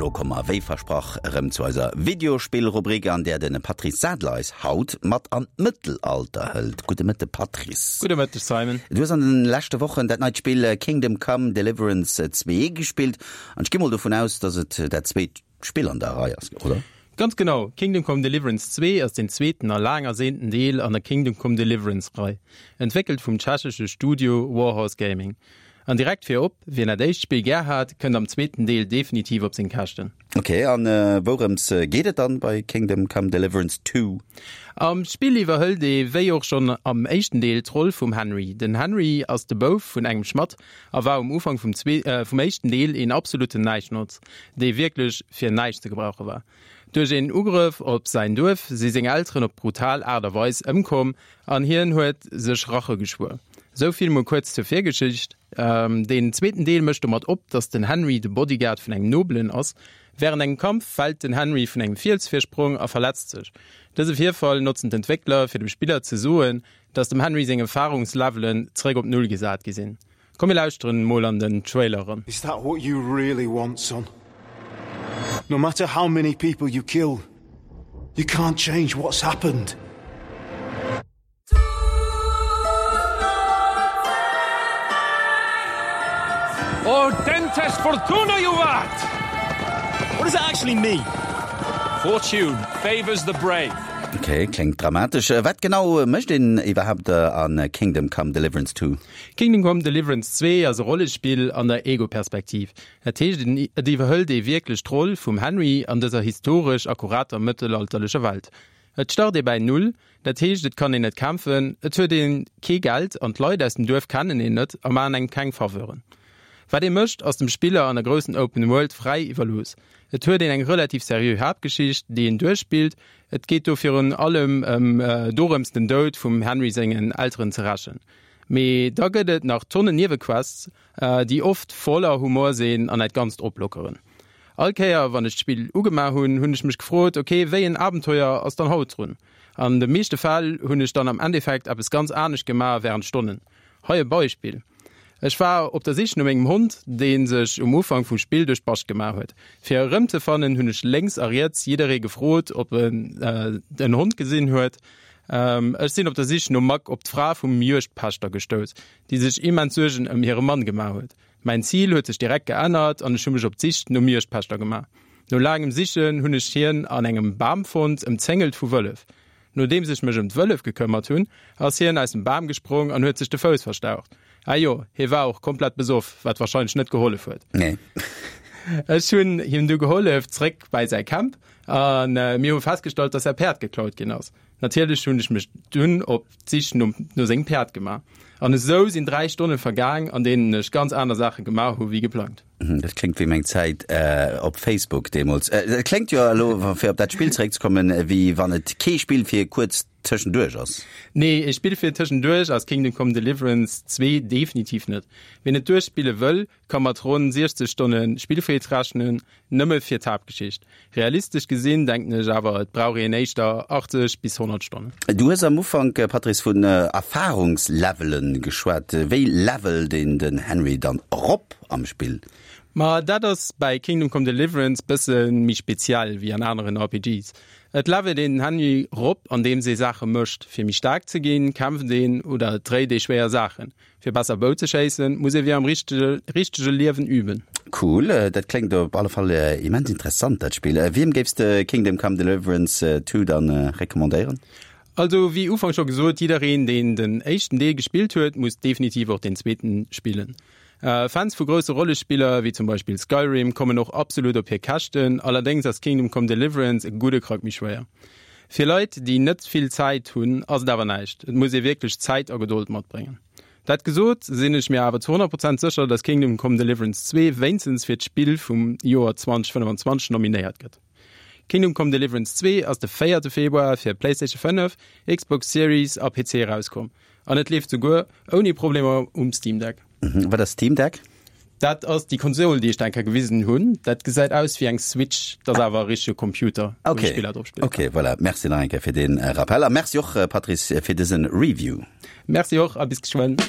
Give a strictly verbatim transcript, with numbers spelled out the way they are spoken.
elo komme mer, wéi versprach, erëm zu eiser Videospillrubrik, an där de Patrice Sadler eis haut mat an d'Mëttelalter hëlt. Gudde Mëtte, Patrice. Gudde Mëtteg, Simon. Du hues an de leschte Wochen dat neit Spill Kingdom Come Deliverance zwee gespillt, an ech gi mol dovun aus, dass et dat zweet Spill an der Rei ass, oder? Ganz genau, Kingdom Come Deliverance zwee ass den zweeten a laang ersehnten Deel an der Kingdom Come Deliverance Rei, entwéckelt vum tschechesche Studio Warhorse Gaming. An direkt virop, wien dat éischt Spill gär hat, kënnt am zweeten Deel definitiv op seng Käschten. Ok, an wourëms geet et dann bei Kingdom Come Deliverance Two? Am Spill iwwerhëlt ee wéi och schonn am éischten Deel d'Roll vum Henry. Den Henry ass de Bouf vun engem Schmadd a war um Ufank vum vum éischten Deel een absolutten Näischnotz, dee wierklech fir näischt ze gebrauche war. Duerch een Ugrëff op säin Duerf si seng Elteren op brutal Aart a Weis ëmkomm an hien huet sech Rache geschwuer. Esou vill mol kuerz zur Virgeschicht. Deen zweeten Deel mécht domat op, dass den Henry de Bodyguard vun engem Nobelen ass. Wärend engem Kampf fält den Henry vun engem Fielsvirsprong a verletzt sech. Dëse Virfall notzen d'Entwéckler fir dem Spiller ze soen, dass dem Henry seng Erfarungslevelen zeréck op Null gesat gi sinn. Komm mir lauschteren mol an den Trailer eran. Is that what you really want, son? No matter how many people you kill, you can't change what's happened. Audentes fortuna juvat! What does that actually mean? Fortune favors the brave. Ok, kléngt dramatesch. Wat genau mécht een iwwerhaapt a Kingdom Come Deliverance Two? Kingdom Come Deliverance zwee ass e Rollespill an der Ego-Perspektiv. Dat heescht, et iwwerhëlt ee wierklech d'Roll vum Henry an dëser historesch akkurater mëttelalterlecher Welt. Et start ee bäi Null, dat heescht et kann een net kämpfen, et huet ee kee Geld an d'Leit aus dem Duerf kennen een net a maachen engem keng Faveuren. Wat ee mécht, ass dem Spiller an der groussen Open World fräi iwwerlooss. Et huet een eng relativ seriö Haaptgeschicht, déi een duerchspillt. Et geet do virun allem ëm dorëms den Doud vum Henry sengen Elteren ze rächen. Mee da gëtt et nach Tonnen Niewequests, déi oft voller Humor sinn an dat Ganzt oplockeren. All Kéier wann ech d'Spill ugemaach hunn, hunn ech mech gefrot, ok, wéi en Abenteuer ass dann haut drun? An de meeschte Fäll hunn ech dann am Endeffekt eppes ganz anescht gemaach wärend Stonnen. Hei e Beispill, Ech war op der Sich no mengem Hond, dee sech um Ufank vum Spill duerch d'Bascht gemaach huet. Fir e rëmzefannen, hunn ech lénks a riets jidderee gefrot, ob en en Hond gesinn huet. Ech sinn op der Sich nom Mack op d'Fra vum Juegdpächter gestouss, déi sech immens Suergen ëm hire Mann gemaach huet. Mäin Zil huet sech direkt geännert an ech hu mech op d'Sich nom Juegdpächter gemaach. No laangem Sichen hunn ech hien an engem Bam fonnt, ëmzéngelt vu Wëllef. Nodeems ech mech ëm d'Wëllef gekëmmert hunn, ass hien aus dem Bam gesprong an huet sech de Fouss verstaucht. Ah jo, hie war och komplett besoff, wat warscheinlech net gehollef huet. Nee. Ech hunn him du gehollef zréck bäi säi Camp a mir hu festgestallt, dass säi Päerd geklaut ginn ass. Natierlech hunn ech mech dunn op d'Sich no sengem Päerd gemaach. An esou sinn dräi Stonne vergaang, an deenen ech ganz aner Saache gemaach hu wéi geplangt. Dat kléngt wéi meng Zäit op Facebook deemools. Et kléngt jo elo, fir op dat Spill zeréckzekommen, wéi wann et kee Spill fir kuerz tëschenduerch ass. Nee, e Spill fir tëschenduerch ass Kingdom Come Deliverance zwee definitiv net. Wien et duerchspille wëll, ka mat ronn siechzeg Stonne Spillfreed rechnen, nëmme fir d'Haaptgeschicht. Realistesch gesinn denken ech awer, et brauch een éischter achtzeg bis honnert Stonnen. Du hues am Ufank, Patrice, vun Erfarungslevelen geschwat. Wéi levelt een den Henry dann erop am Spill? Ma dat ass bäi Kingdom Come Deliverance bësse méi speziell wéi an aneren R P Gs. Et levelt een den Henry rop, andeems ee Saache mécht. Fir méi staark ze ginn, kämpft een oder dréit ee schwéier Saachen. Fir besser Bou ze schéissen, muss ee wéi am richtege Liewen üben. Cool, dat kléngt op alle Fall immens interessant dat Spill. Wiem géifs de Kingdom Come Deliverance Two dann recommandéieren? Also wéi ufanks scho gesot, jiddereen deen den éischten Deel gespillt huet, muss definitiv och deen zweeten spillen. Fans vu grousse Rollespiller wéi zum Beispill Skyrim kommen och absolut op hir Käschten, allerdéngs ass Kingdom Come Deliverance e gudde Krack méi schwéier. Fir Leit déi net vill Zäit hunn ass et awer näischt, et muss ee wierklech Zäit a Gedold matbréngen. Dat gesot, sinn ech mir awer zu honnert Prozent sécher, dass Kingdom Come Deliverance zwee wéinstens fir d'Spill vum Joer zweitausendfënnefanzwanzeg nominéiert gëtt. Kingdom Come Deliverance zwee ass de véierte Februar fir PlayStation fënnef, Xbox Series a P C erauskomm an et leeft souguer ouni Problemer um Steam Deck. Wat ass Steam Deck? Dat ass déi Konsol, déi ech der eng Kéier gewisen hunn. Dat gesäit aus wéi eng Switch, dat ass awer e richtege Computer, wou ee Spiller drop spille kann. Ok, voilà. Merci nach eng Kéier fir dee Rappel a Merci och, Patrice, fir dëse Review. Merci och a bis geschwënn.